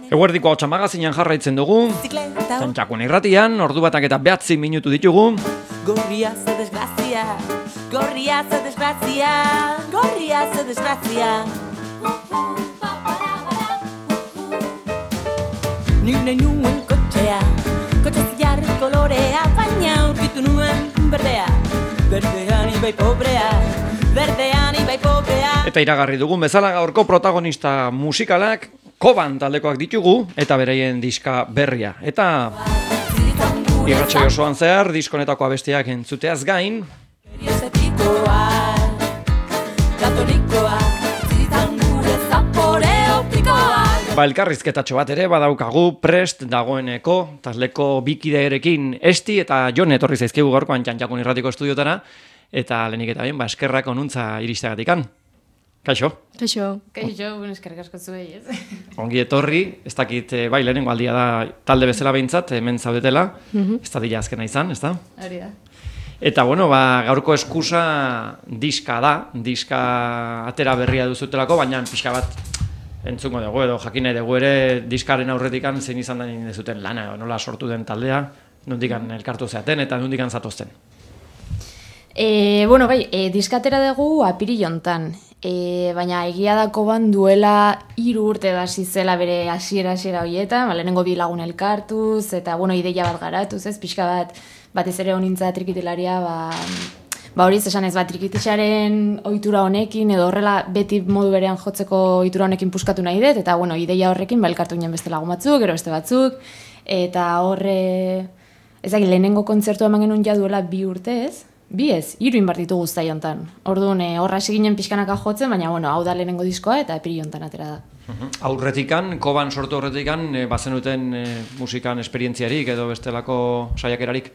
Eguerdiko hotxa magazinan jarraitzen dugu, Txantxakun irratian, ordu batak eta 9 minutu ditugu. Gorria ze desgrazia, gorria ze desgrazia, gorria ze desgrazia. Nik nahi nuen kotxea, kotxe zilarri kolorea, baina aurkitu nuen berdea, berdean ibai pobrea, berdean ibai pobrea. Eta iragarri dugun bezala gaurko protagonista musikalak Koban taldekoak ditugu eta beraien diska berria. Eta irratsaio osoan zehar diskonetako abestiak entzuteaz gain elkarrizketatxo bat ere badaukagu prest dagoeneko taldeko bikideerekin Esti eta Jon etorri zaizkigu gaurkoan Txantxakun irratiko estudiotara eta lehenik eta bien eskerrak onuntza iristeagatikan. Kaixo? Kaixo, eskerrik asko zuei, ez? Ongi etorri, ez dakit, bai, lehenengo aldia da talde bezala behintzat, hemen zaudetela, ez da dila azkena izan, ez da? Hori da. Eta, bueno, gaurko eskusa diska da, diska atera berria duzutelako, baina pixka bat entzungo dugu edo jakin nahi dugu ere diskaren aurretikan zein izan den dezuten lana, nola sortu den taldea, nondikan elkartu zeaten eta nondikan zatozten. Diskatera dugu apiril hontan, baina egia da Koban duela 3 urte hasi zela bere hasiera horietan, lehenengo 2 lagun elkartuz, eta ideia bat garatuz, ez, pixka batez ere honintza trikitilaria, hori esan ez, trikitixaren ohitura honekin, edo horrela beti modu berean jotzeko ohitura honekin puskatu nahi dut, eta ideia horrekin elkartu ginen beste lagun batzuk, gero beste batzuk, eta horre, lehenengo kontzertu eman genuen ja duela 2 urte, ez? 3 inbartitu guztai hontan. Orduan, horra hasi ginen pixkanaka jotzen, baina, hau da lehenengo diskoa eta apiril hontan atera da. Aurretikan, Koban sortu aurretikan, bazenuten musikan esperientziarik edo bestelako saiakerarik?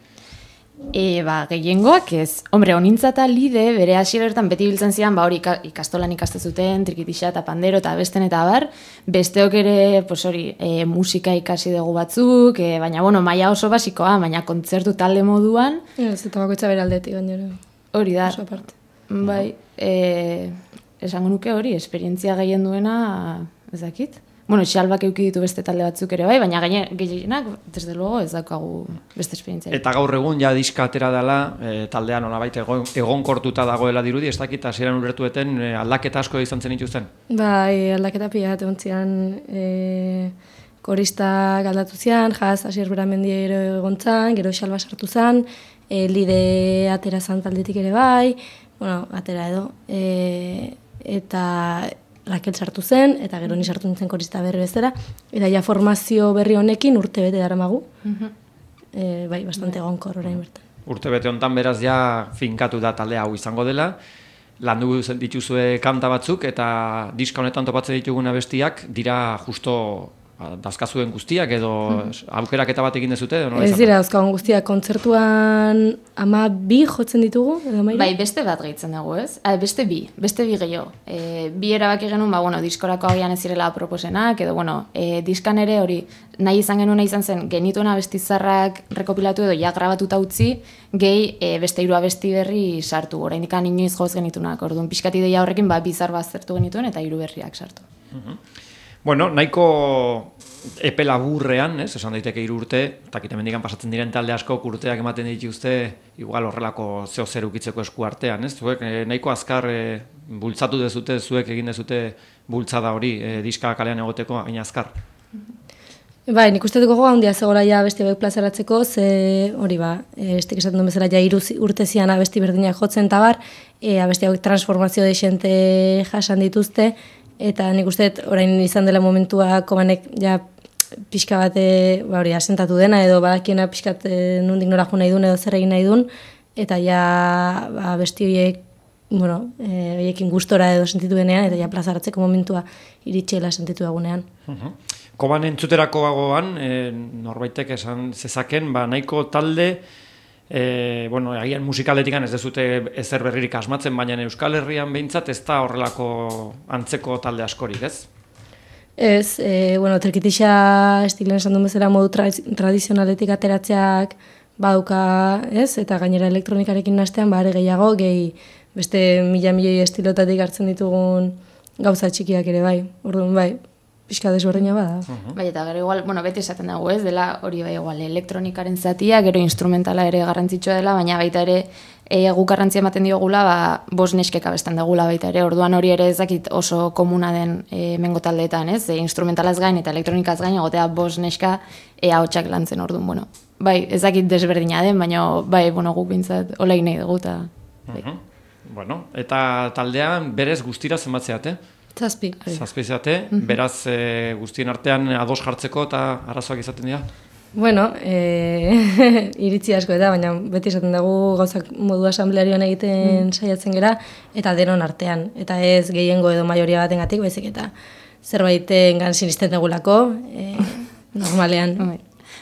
Gehiengoak ez. Hombre, honintza eta lide, bere hasieretan beti biltzen ziren, hori ikastolan ikaste zuten, trikitixa eta pandero eta besten eta bar, besteok ere, musika ikasi dugu batzuk, baina, maila oso basikoa, baina kontzertu talde moduan. Ez, eta bakoitza bere aldetik, gainera. Hori da. Oso aparte. Bai, esango nuke hori, esperientzia gehien duena, ez dakit. Xalbak euki ditu beste talde batzuk ere bai, baina gehienak, desde luego, ez daukagu beste esperientzia. Eta gaur egun ja diska atera dela, taldean nolabait egonkortuta dagoela dirudi, ez dakit hasieran ulertueten aldaketa asko izan zen dituzten? Bai, aldaketa pila bat egon zian, koristak aldatu zian, Asier Beramendiero egon zan, gero Xalba sartu zan, lide atera zan taldetik ere bai, atera edo, eta Raquel sartu zen, eta gero ni sartu nintzen korista berri bezala, eta ja formazio berri honekin urte bete daramagu. Bastante egonkor orain bertan. Urte bete hontan beraz ja finkatu da talde hau izango dela, landu dituzue kanta batzuk, eta diska honetan topatzen ditugun abestiak dira justo dazkazuen guztiak edo aukeraketa bat egin dezute? Ez dira dauzkagun guztiak, kontzertuan 12 jotzen ditugu? Bai, beste bat gehitzen dugu, ez? Beste bi gehiago. Bi erabaki genuen, diskorako agian ez zirela proposenak, edo, diskan ere hori, nahi izan genuen izan zen, genituen abestizarrak rekopilatu edo ja grabatuta utzi, gehi beste 3 abesti berri sartu, oraindik inoiz joz genitunak, orduan pixkat ideia horrekin, bizar bat zertu genituen eta 3 berriak sartu. Nahiko epe laburrean, esan daiteke 3 urte, eta hemendikan pasatzen diren talde asko urteak ematen dituzte, igual horrelako zeo zer ukitzeko esku artean, zuek nahiko azkar bultzatu dezute, zuek egin dezute bultzada hori, diska kalean egoteko, hain azkar? Bai, nik uste dugu handia zegoela ja abesti hauek plazaratzeko, ze hori estik esaten duen bezala ja 3 urte zian abesti berdinak jotzen tabar, abesti hauek transformazio deixente jasan dituzte, eta nik uste orain izan dela momentua Kobanek ja pixka bat asentatu dena edo badakiena pixkat nondik nora jo nahi duen edo zer egin nahi duen eta ja besti horiek horiekin gustora edo sentitu denean eta ja plazaratzeko momentua iritsela sentitu dagunean. Koban entzuterako gogoan, norbaitek esan zezaken, nahiko talde agian musikaletikan ez dezute ezer berririk asmatzen, baina Euskal Herrian behintzat ez da horrelako antzeko talde askorik, ez? Ez, trikitixa estilen esan duen bezala modu tradizionaletik ateratzeak baduka, ez? Eta gainera elektronikarekin nastean, are gehiago, beste mila milioi estilotatik hartzen ditugun gauza txikiak ere bai. Orduan bai, pixka desberdina bada. Bai, eta gero igual, bueno, beti esaten dago, ez, dela hori bai igual elektronikaren zatia, gero instrumentala ere garrantzitsua dela, baina baita ere guk garrantzia ematen diogula, bost neskek abesten dagula baita ere, orduan hori ere ez dakit oso komuna den mengo taldeetan, ez, instrumentalaz gain eta elektronikaz gain egotea bost neska ahotsak lantzen orduan, bueno, bai, ez dakit desberdina den, baina bai, bueno, guk bintzat hola nahi dugu, eta bai. Bueno, eta taldean berez guztira zenbatzeate? Zazpi. Zazpi zeate, beraz guztien artean ados jartzeko eta arazoak izaten dira? Bueno, iritzi asko eta, baina beti esaten dugu gauzak modu asamblearioan egiten saiatzen gera, eta denon artean. Eta ez gehiengo edo majoria batengatik, baizik eta zerbaitengan sinisten dugulako, normalean.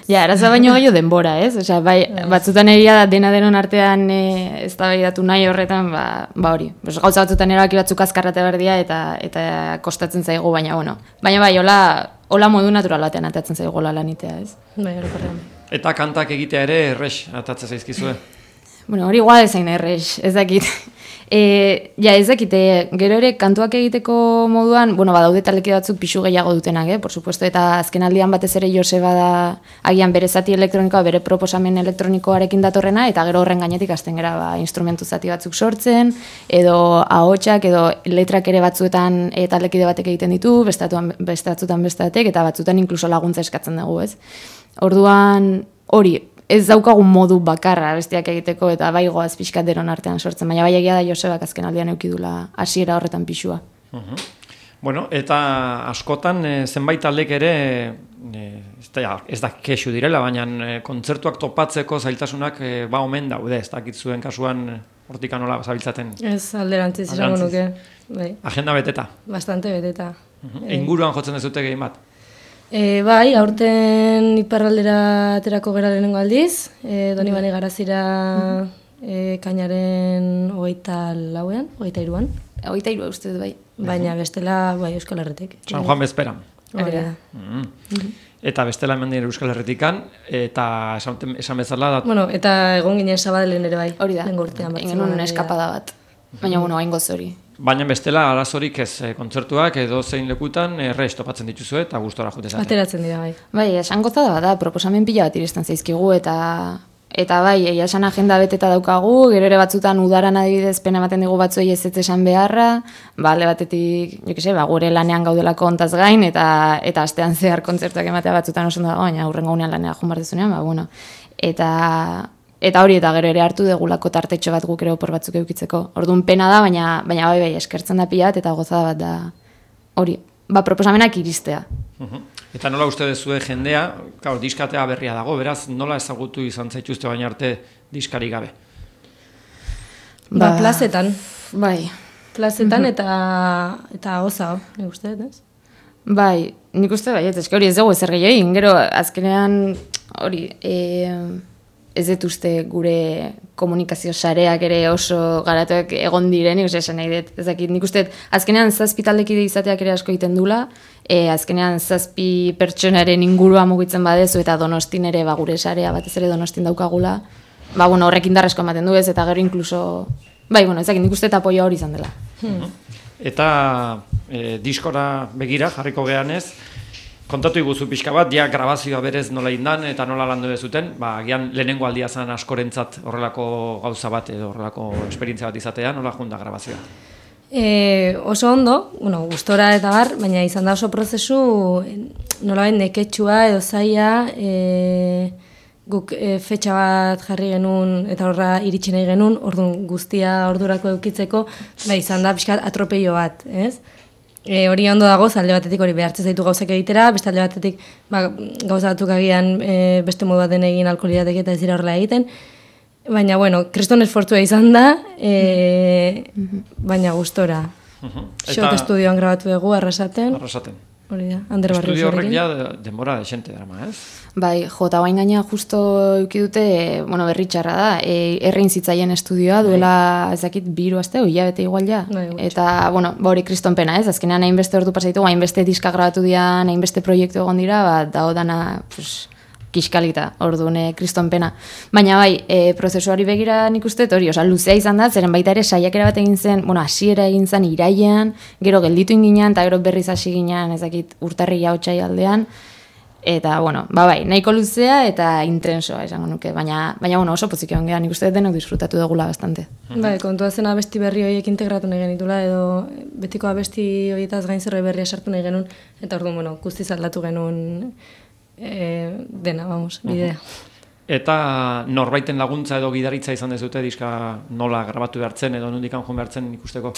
Ja, arazoa baino gehiago denbora, ez? Osea, bai, batzutan egia da dena denon artean eztabaidatu nahi horretan, ba hori. Gauza batzutan erabaki batzuk azkarrate berdia eta kostatzen zaigu, baina bueno. Baina bai, hola modu natural batean atatzen zaigu lanitea, ez? Bai, orokorrean. Eta kantak egitea ere errex atatzen zaizkizue? Bueno, hori igual ezain errex, ez dakit. Ez dakit, gero ere kantuak egiteko moduan, bueno, badaude taleki batzuk pixu gehiago dutenak, por supuesto, eta azken aldian batez ere Joseba da agian bere zati elektronikoa, bere proposamen elektronikoarekin datorrena, eta gero horren gainetik hasten gara instrumentu zati batzuk sortzen, edo ahotsak, edo letrak ere batzuetan talekide batek egiten ditu, batzutan bestatek, eta batzutan inkluso laguntza eskatzen dugu, ez? Orduan, hori, ez daukagun modu bakarra bestiak egiteko eta bai goaz pixkat denon artean sortzen, baina bai egia da Josebak azken aldian eukidula hasiera horretan pixua. Bueno, eta askotan zenbait taldek ere, ez da kexu direla, baina kontzertuak topatzeko zailtasunak omen daude, ez dakit zuen kasuan hortik anola zabiltzaten. Ez alderantziz izango nuke. Bai. Agenda beteta? Bastante beteta. Inguruan jotzen dezute gehien bat? Bai, aurten iparraldera aterako gera lehenengo aldiz, Donibane Garazira kainaren 24an, 23an. 23 uste dut, bai. Baina bestela, bai, Euskal Herretik. San Juan bezperan. Hori da. Eta bestela hemen dira Euskal Herretikan, eta esan bezala... Bueno, eta egon ginen Sabadellen ere bai. Hori da, egin eskapada bat. Baina, bueno, hain goz hori. Baina bestela arazorik ez kontzertuak edo zein lekutan errez topatzen dituzue eta gustora jutezate. Ateratzen dira, bai. Bai, esan gozada da, proposamen pila bat iristen zaizkigu eta bai, esan agenda beteta daukagu, gero ere batzutan udaran adibidez pena ematen digu batzuei ez esan beharra, alde batetik, gure lanean gaudelako ontaz gain, eta astean zehar kontzertuak ematea batzutan oso dago, baina hurrengo unean lanea joan bardezunean, bueno. Eta hori, eta gero ere hartu degulako tartetxo bat guk ere opor batzuk eukitzeko. Orduan pena da, baina bai, eskertzen da pila bat, eta gozada bat da hori, proposamenak iristea. Eta nola uste dezue jendea, diskatea berria dago, beraz, nola ezagutu izan zaituzte baina arte diskari gabe? Plazetan. Bai. Plazetan eta oza, nik uste, ez? Bai, nik uste bai, ez hori ez dugu ezer gehiagin, gero azkenean hori... Ez dut uste gure komunikazio sareak ere oso garatuak egon direnik, esan nahi dut. Nik uste, azkenean 7 taldekide izateak ere asko egiten dula, azkenean 7 pertsonaren ingurua mugitzen badezu eta Donostin ere gure sarea batez ere Donostin daukagula, horrekin darresko ematen du ez, eta gero inkluso, nik uste eta apoio hori izan dela. Eta diskora begira jarriko gehanez, kontatu iguzu pixka bat, grabazioa berez nola indan eta nola landu dezuten, agian lehenengo aldia zen askorentzat horrelako gauza bat edo horrelako esperientzia bat izatea, nola junda grabazioa? Oso ondo, gustora eta bar, baina izan da oso prozesu nolabait neketsua edo zaila, guk fetxa bat jarri genuen eta horra iritsi nahi genuen, orduan guztia ordurako eukitzeko, izan da pixkat atropello bat, ez? Hori ondo dago, alde batetik hori behartzen zaitu gauzak egitera, beste alde batetik gauza batzuk agian beste modu baten egin alkoholiatek eta ez dira horrela egiten. Baina, kriston esfortzua izan da, baina gustora. Xot estudioan grabatu dugu, Arrasaten. Hori da, Ander Barrios estudio horrek ja denbora desente drama, ez? Bai, jota bain gaina justo eukidute, berri txarra da, errein zitzaien estudioa duela, ezakit, 2 aste, hilabete igual ja. Eta, hori kriston pena, ez? Azkenean hainbeste ordu pasaitu, hainbeste diska grabatu dian, hainbeste proiektu egon dira, dago dana, kiskalita, orduan kriston pena. Baina bai, prozesuari begira nik uste, hori, luzea izan da, zeren baita ere saiakera bat egin zen, hasiera egin zen irailean, gero gelditu inginean, eta gero berriz hasi ginean, ezakit, urtarrila otsai aldean, eta, bai, nahiko luzea eta intensoa esango nuke, baina oso pozik egon gehan, nik uste denok disfrutatu dugula bastante. Bai, kontua zen abesti berri horiek integratu nahi genitula, edo betiko abesti horietaz gain zerbait berria sartu nahi genuen, eta orduan, guztiz aldatu genuen dena, bidea. Eta norbaiten laguntza edo gidaritza izan dezute diska nola grabatu behartzen edo nondik joan behartzen ikusteko?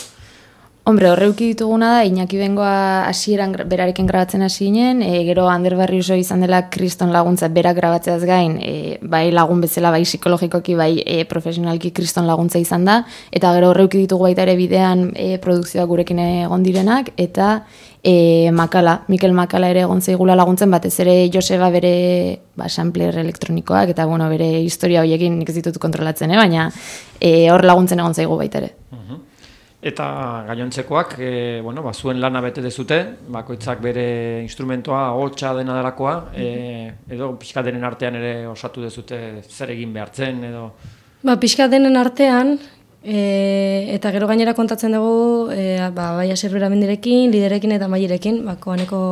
Hombre, horreuki dituguna da, Iñaki Bengoa hasieran berarekin grabatzen hasi ginen, gero Ander Barriuso izan dela kriston laguntza berak grabatzeaz gain, bai lagun bezala, bai psikologikoki, bai profesionalki kriston laguntza izan da, eta gero horreuki ditugu baita ere bidean produkzioak gurekin egon direnak, eta Mikel Makala ere egon zaigula laguntzen, batez ere Joseba bere sampler elektronikoak, eta bere historia horiekin nik ez ditut kontrolatzen, baina hor laguntzen egon zaigu baita ere. Eta gainontzekoak, zuen lana bete dezute, bakoitzak bere instrumentoa, hotsa dena delakoa, edo pixkatenen artean ere osatu dezute zer egin behartzen, edo... Pixkatenen artean, eta gero gainera kontatzen dugu, bai Aserbera mendirekin, liderekin eta mailerekin, koaneko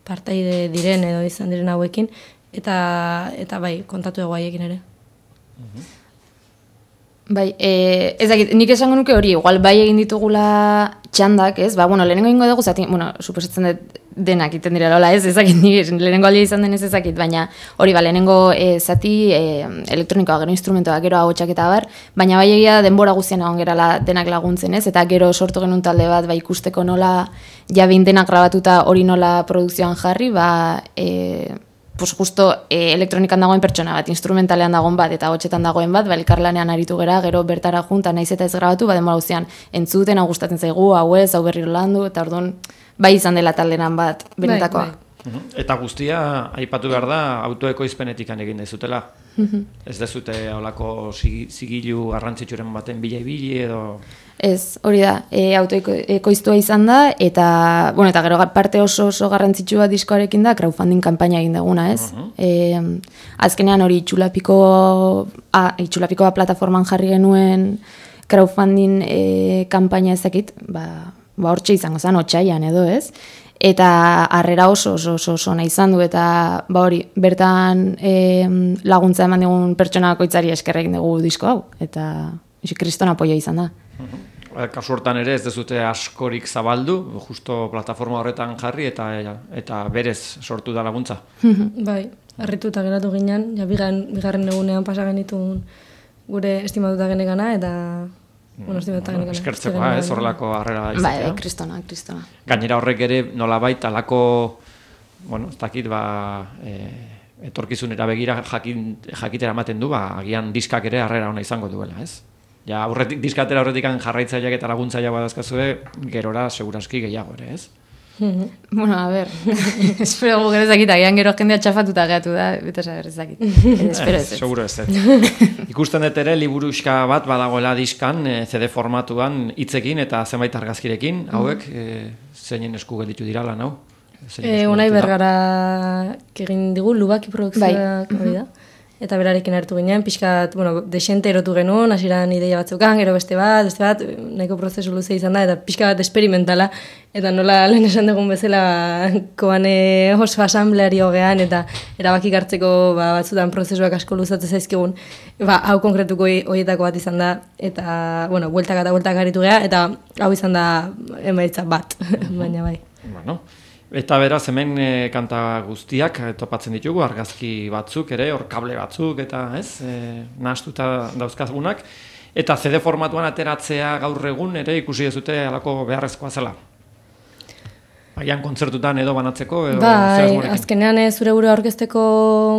partaide diren edo izan diren hauekin, eta bai, kontatu dugu haiekin ere. Bai, ezakit, nik esango nuke hori, igual bai egin ditugula txandak, ez? Lehenengo ingo dugu, zati, suposatzen dut denak iten dira lola, ez? Ezakit, nik lehenengo aldia izan denez ezakit, baina hori, lehenengo zati elektronikoa, gero instrumentoa, gero ahotsak eta bar, baina bai egia denbora guztian egon gerala denak laguntzen, ez? Eta gero sortu genuen talde bat, ikusteko nola jabin denak grabatuta hori nola produkzioan jarri, justo elektronikan dagoen pertsona bat, instrumentalean dagoen bat, eta hotxetan dagoen bat, elkarlanean aritu gera, gero bertara junta, naiz eta ez grabatu, denbora guztian entzuten, hau gustatzen zaigu, hau ez, hau berriro landu, eta orduan, bai izan dela taldenan bat, benetakoa. Eta guztia, aipatu behar da, autoekoizpenetik egin dezutela. Ez dezute holako zigilu garrantzitsuren baten bila-ibili edo... Ez, hori da, autoekoiztua izan da, eta gero parte oso garrantzitsua diskoarekin da, crowdfunding kanpaina egin duguna, ez? Azkenean hori itxulapikoa plataforman jarri genuen crowdfunding kanpaina ezakit, hortxe izango zen, otsaian edo, ez? Eta harrera oso nahi izan du, eta hori, bertan laguntza eman digun pertsonako itzari eskerrekin dugu disko hau, eta kriston apoia izan da. Kasu hortan ere ez dezute askorik zabaldu, justo plataforma horretan jarri eta berez sortu da laguntza. Bai, harrituta geratu ginen, bigarren egunean pasa genitun gure estimatuta genekana, eta... eskertzekoa, ez horrelako harrera izatea. Bai, kristona. Gainera horrek ere nolabait alako, ez dakit, etorkizunera begira jakitera ematen du, agian diskak ere harrera ona izango duela, ez? Ja, diskatera horretik jarraitzaileak eta laguntzaileak badazkazue, gerora seguraski gehiago ere, ez? A ber, espero gu gero ezakit, agian gero jendea txafatuta gehiatu da, beta saber ezakit. Espero ez. Seguro ez. Ikusten dut ere, liburuxka bat badagoela diskan, CD formatuan hitzekin eta zenbait argazkirekin, hauek, zeinen esku gelditu dira lan hau? Unai Bergara egin digu, Lubaki produkzioak hori da. Eta berarekin hartu ginen, pixkat, desente erotu genuen, hasieran ideia batzukan, gero beste bat, nahiko prozesu luze izan da, eta pixka bat esperimentala, eta nola lehen esan dugun bezala, koane oso asambleari hogean, eta erabakik hartzeko batzutan prozesuak asko luzatzen zaizkigun, hau konkretuko horietako bat izan da, eta, bueltak eta bueltak aritu geha, eta hau izan da emaitza bat, baina bai. Eta beraz, hemen kanta guztiak topatzen ditugu, argazki batzuk ere, hor kable batzuk, eta nahastuta dauzkazunak. Eta CD formatuan ateratzea gaur egun ere ikusi dezute alako beharrezkoa zela. Agian kontzertutan edo banatzeko, edo azkenean zure burua aurkezteko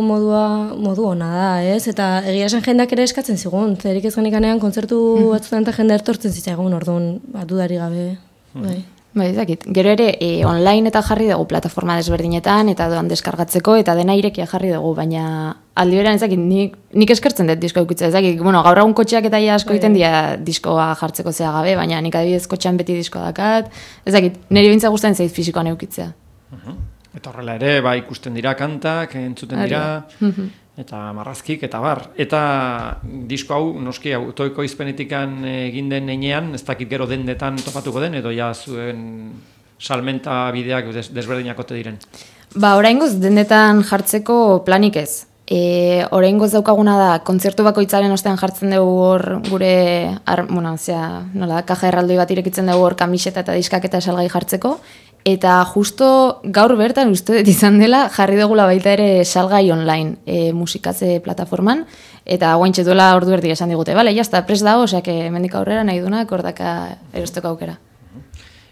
modu ona da, ez? Eta egia esan jendeak ere eskatzen zigun, zerik ez genikanean kontzertu batzutan eta jende ertortzen zitzaigun, orduan, dudari gabe, bai. Bai, ezakit. Gero ere, online eta jarri dugu plataforma desberdinetan, eta doan deskargatzeko, eta dena irekia jarri dugu, baina aldi berean ezakit, nik eskertzen dut disko eukitza, ezakit, gaur egun kotxeak eta asko egiten dira diskoa jartzeko zea gabe, baina nik adibidez kotxean beti diskoa dakat, ezakit, niri bintza gustatzen zait fisikoan eukitzea. Eta horrela ere, ikusten dira kantak, entzuten dira, eta marrazkik, eta bar. Eta disko hau, noski, autoiko izpenetikan egin den heinean, ez dakit gero dendetan topatuko den, edo ja zuen salmenta bideak desberdinak ote diren. Oraingoz dendetan jartzeko planik ez. Oraingoz daukaguna da, kontzertu bakoitzaren ostean jartzen dugu hor gure, kaja erraldoi bat irekitzen dugu hor kamiseta eta diskak eta salgai jartzeko, eta justo gaur bertan uste dut izan dela jarri dugula baita ere salgai online musikatze plataforman, eta guaintxe duela ordu erdi esan digute, bale, jazta, prest dago, oseak mendik aurrera nahi dunak ordaka erosteko aukera.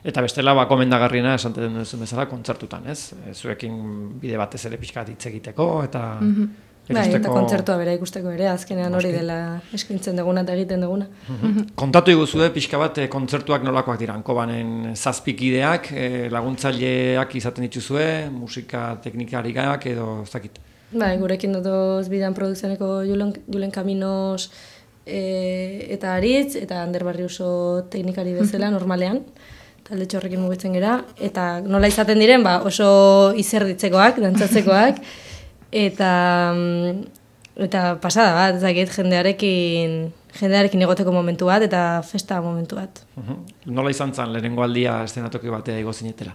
Eta bestela, komendagarriena esanten duzun bezala kontzertutan, ez? Zuekin bide batez ere pixka hitz egiteko, eta... Eta kontzertua bera ikusteko ere, azkenean hori dela eskintzen duguna eta egiten duguna. Kontatu iguzue, pixka bat, kontzertuak nolakoak dira, Kobanen zazpikideak, laguntzaileak izaten dituzue, musika teknikarikak edo ez dakit. Gurekin dut bidan produkzioneko Julen Kaminos eta Aritz, eta Ander Barriuso teknikari bezala normalean, talde txorrekin mugitzen gera, eta nola izaten diren, oso izerditzekoak, dantzatzekoak, eta pasada bat, ezakit, jendearekin egoteko momentu bat, eta festa momentu bat. Nola izan zen, lehenengo aldia eszenatoki batea igo zinetela?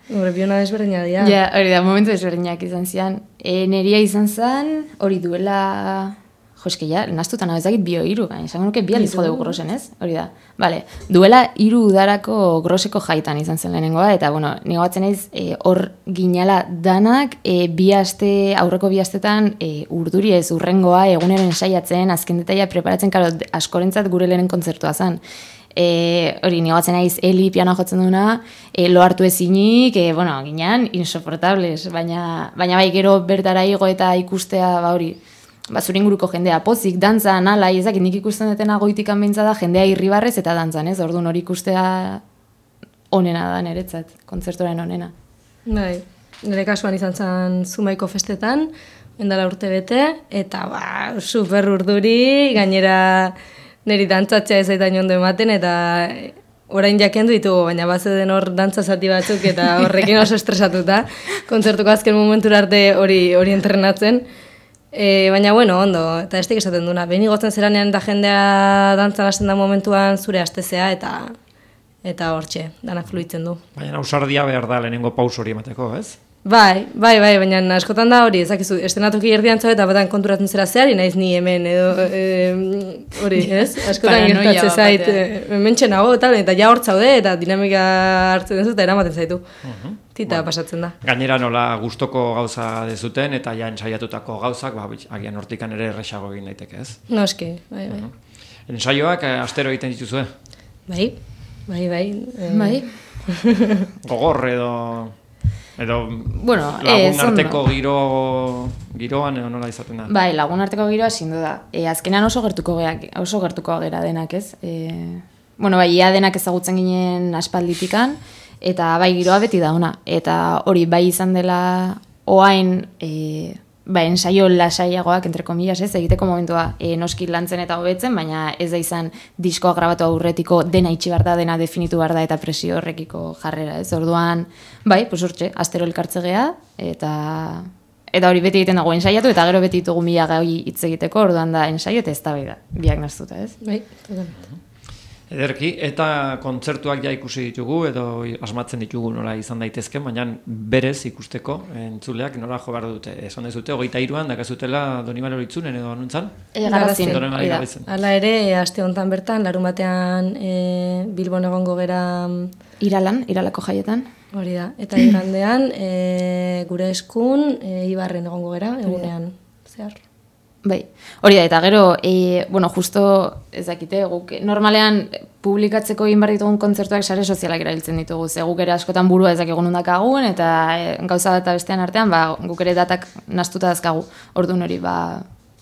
Biona desberdina dira. Ja, hori da, momentu desberdinak izan zian. Neria izan zen, hori duela... Joske, ja, naztutan hau ezakit bio-hiru, esango nuke bi aliz jodeu grosen, ez? Hori da. Bale, duela 3 udarako groseko jaitan izan zen lehenengoa, eta, nigo batzen naiz, hor ginala danak, aurreko 2 astetan, urduri ez urrengoa, eguneren saiatzen, azken detaila preparatzen, karo, askorentzat gure lehenen kontzertua zen. Hori, nigo batzen naiz, Eli pianoa jotzen duna, lo hartu ezinik, ginean, insoportables, baina bai, gero bertara igo eta ikustea, hori, zure inguruko jendea pozik, dantzan, ala, ezakit nik ikusten detena goitikan behintza da, jendea irribarrez eta dantzan, ez? Orduan hori ikustea onena da niretzat, kontzertuaren onena. Bai, nire kasuan izan zen Zumaiko festetan, endala urte bete, eta super urduri, gainera niri dantzatzea ez aitain ondo ematen, eta orain jakendu ditugu, baina bazeden hor dantza zati batzuk, eta horrekin oso estresatuta, kontzertuko azken momentura arte hori entrenatzen. Baina, ondo, eta estik esaten duna, behin igotzen zeranean da jendea dantzan hasten da momentuan zure astezea, eta hortxe, dana fluitzen du. Baina ausardia behar da lehenengo paus hori emateko, ez? Bai, baina askotan da hori, ezakizu, estenatoki erdian zau eta batan konturatzen zera zehari, naiz ni hemen, edo hori, ez? Askotan gertatzen zait, mentxe nago, eta ja hor zaude, eta dinamika hartzen duzu, eta eramaten zaitu. Tita pasatzen da. Gainera nola gustoko gauza dezuten, eta ja ensaiatutako gauzak, agian hortikan ere erresago egin daiteke, ez? Noski, bai. Ensaioak astero egiten dituzue? Bai. Gogor lagun arteko giroan edo nola izaten da? Bai, lagun arteko giroa zindu da. Azkenean oso gertuko gera denak, ez? Ia denak ezagutzen ginen aspalditikan, eta bai giroa beti da ona. Eta hori bai izan dela oain ensaio lasaiagoak, entre comillas, ez, egiteko momentua noski lantzen eta hobetzen, baina ez da izan diskoa grabatu aurretiko dena itxi behar da, dena definitu behar da, eta presio horrekiko jarrera, ez, orduan, bai, hortxe, astero elkartze geha, eta hori beti egiten dago ensaiatu, eta gero beti ditugu mila gai hitz egiteko, orduan da ensaio eta ez da bai da, biak naztuta, ez? Bai, totalmente. Ederki, eta kontzertuak ja ikusi ditugu, edo asmatzen ditugu nola izan daitezken, baina berez ikusteko entzuleak nola jo behar dute. Esan dezute, 23an dakazutela Donibane Oritzunen edo anuntzan? Garazin. Hala ere, aste honetan bertan, larun batean Bilbon egongo gera... Iralako jaietan. Hori da, eta igandean gure eskun Ibarren egongo gera, egunean zehar. Bai, hori da, eta gero, justo ez dakite, guk normalean publikatzeko egin behar ditugun kontzertuak sare sozialak erabiltzen ditugu, ze guk ere askotan burua ez dakik nundakagun, eta gauza eta bestean artean, guk ere datak nastuta dazkagu, orduan hori,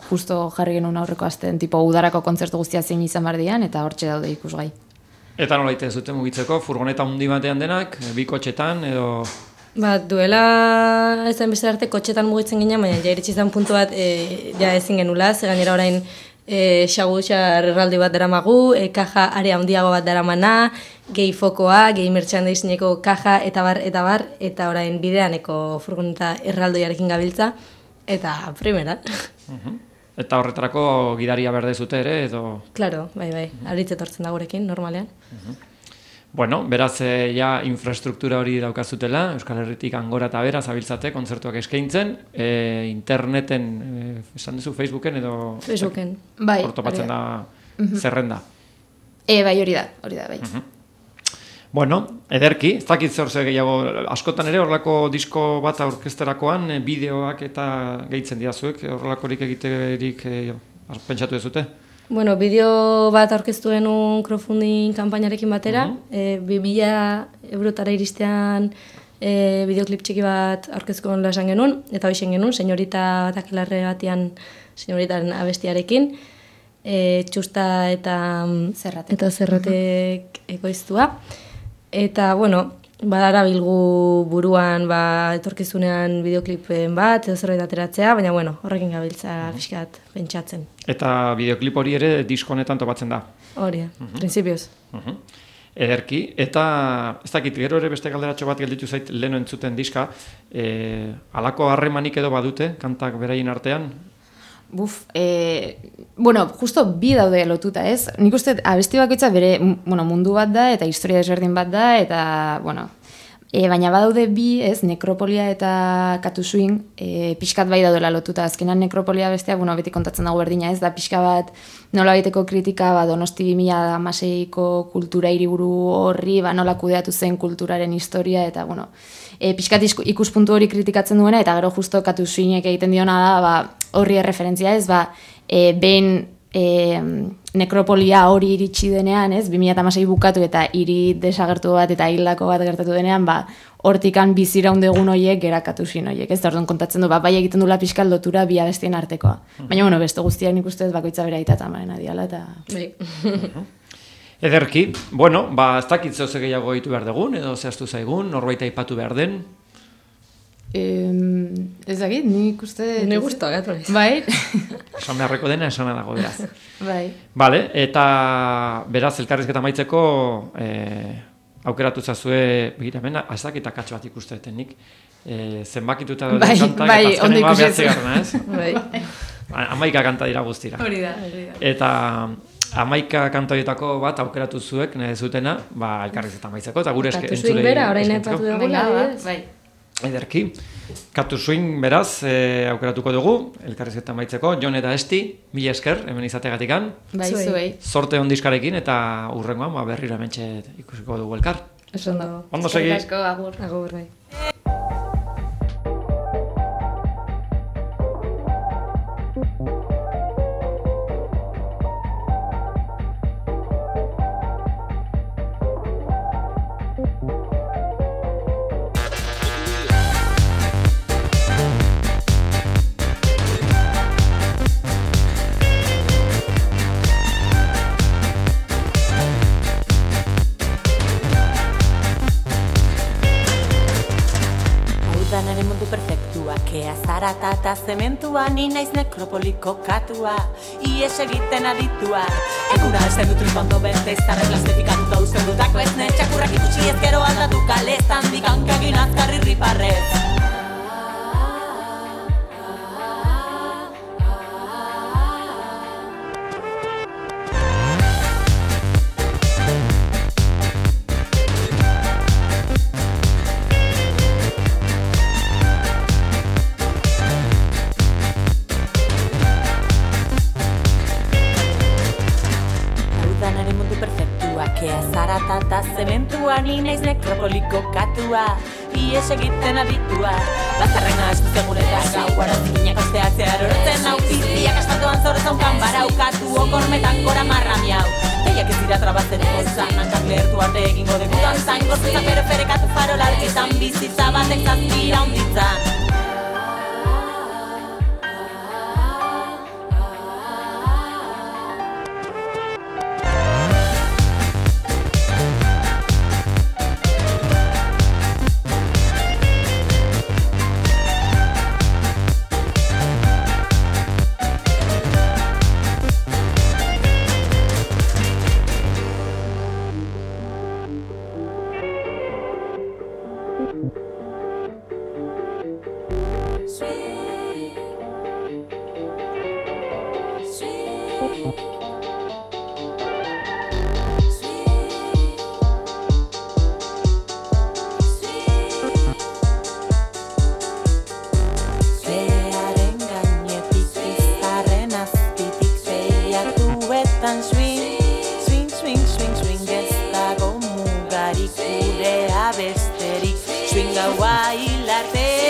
justo jarri genuen aurreko astean, tipo udarako kontzertu guztia zein izan behar dian, eta hortxe daude ikusgai. Eta nola ite zuten mugitzeko, furgoneta hundi batean denak, bi kotxetan, edo... Duela ez da beste arte kotxetan mugitzen ginen, baina ja iritsi zen puntu bat ja ezin genula, ze gainera orain xagutxar erraldi bat daramagu, kaja area handiago bat daramana, gehi fokoa, gehi merchandisingeko kaja, eta bar, eta orain bideaneko furgoneta erraldoiarekin gabiltza, eta primera. Eta horretarako gidaria berdezute ere, edo... Claro, bai, aritz etortzen da gurekin, normalean. Bueno, beraz, ja infrastruktura hori daukazutela, Euskal Herritik angora eta bera zabiltzate, kontzertuak eskaintzen, interneten, esan duzu Facebooken edo... Facebooken. Bai, hor topatzen da zerrenda. Bai, hori da, bai. Bueno, ederki, ez dakit zer gehiago, askotan ere horrelako disko bat aurkezterakoan, bideoak eta gehitzen dira zuek, horrelakorik egiterik pentsatu dezute? Bueno, bideo bat aurkeztu genuen crowdfunding kanpainarekin batera, 2.000 eurotara iristean bideoklip txiki bat aurkeztu genuen esan genuen, eta hoixen genuen, senyorita takilarre batean, senyoritaren abestiarekin, txusta eta zerratek ekoiztua. Eta, bueno, badarabilgu buruan etorkizunean bideoklipen bat, edo zerbait ateratzea, baina, bueno, horrekin gabiltza fiskat pentsatzen. Eta bideoklip hori ere disko honetan topatzen da? Hori, prinsipioz. Ederki, eta ez dakit, gero ere beste galderatxo bat gelditu zait leheno entzuten diska, halako harremanik edo badute, kantak beraien artean? Bueno, justo bi daude lotuta, ez? Nik uste abesti bakoitza bere mundu bat da eta historia desberdin bat da eta, bueno, baina badaude bi, ez, Nekropolia eta Katu Swing, pixkat bai daudela lotuta. Azkenan Nekropolia bestea, beti kontatzen dago berdina, ez da pixka bat nola baiteko kritika, Donosti 2016ko kultura hiriburu horri, nola kudeatu zen kulturaren historia eta, bueno, pixkat ikuspuntu hori kritikatzen duena eta gero justo Katu Swingek egiten diona da, horri erreferentzia, ez, behin Nekropolia hori iritsi denean, ez, 2016 bukatu eta hiri desagertu bat eta hildako bat gertatu denean, hortikan biziraundegun horiek gerakatu zin horiek, ez, orduan kontatzen du, bai egiten dula pixkal lotura bi abestien artekoa. Baina, bueno, beste guztiak nik uste bakoitza bera itatamaren adiala, eta... Ederki, bueno, ez dakit zehose gehiago ditu behar dugun, edo zehaztu zaigun, norbait aipatu behar den? Ez dakit, nik uste... Ni guztua, gatu. Bai. Esan beharreko dena, esana dago, beraz. Bai. Bale, eta beraz, elkarrizketa maitzeko aukeratu zazue, begira, hemen, azakita katxo bat ikusteetan nik. Zenbakituta dut kantak, eta azkenengoa behatzi garrana, ez? Bai. 11 kanta dira guztira. Hori da. Eta 11 kantoietako bat aukeratu zuek, nahi zutena, elkarrizketa maitzeko, eta gure entzulei... Katu Swing bera, orain aipatu dugula, bai. Ederki. Katu Swing beraz aukeratuko dugu, elkarrizketa maitzeko, Jon eta Esti, mila esker, hemen izategatikan. Bai, zuei. Sorte on diskarekin eta urrengoan berriro hementxe ikusiko dugu elkar. Ondo segi. Asko, agur. Agur, bai. Eta zementua, ni naiz nekropoliko katua, ies egiten aditua. Eguna esten dut tripondo beste, izarrek plastifikatuta usten dutako ez ne, txakurrak ikutsi ez gero aldatu kalestan, dikankagin azkarri riparrez. Zementua, ni naiz nekropoliko katua, ies egiten aditua. Bazarrena estu seguretan gau, arazikinak osteatzear orotzen hau, piztiak astatuan zorezan kanbara ukatu, okormetan gora marra miau. Teiak ez dira trabatzen ozan, hankak lehertu arte egingo degutan zan, gozuzak ferekatu farolarketan, bizitza batek zazpira honditzan. Bearen gainetik izarren azpitik behiatuetan swing, swing, swing, swing, swing, ez dago mugarik gurea besterik, swing gaua hilarte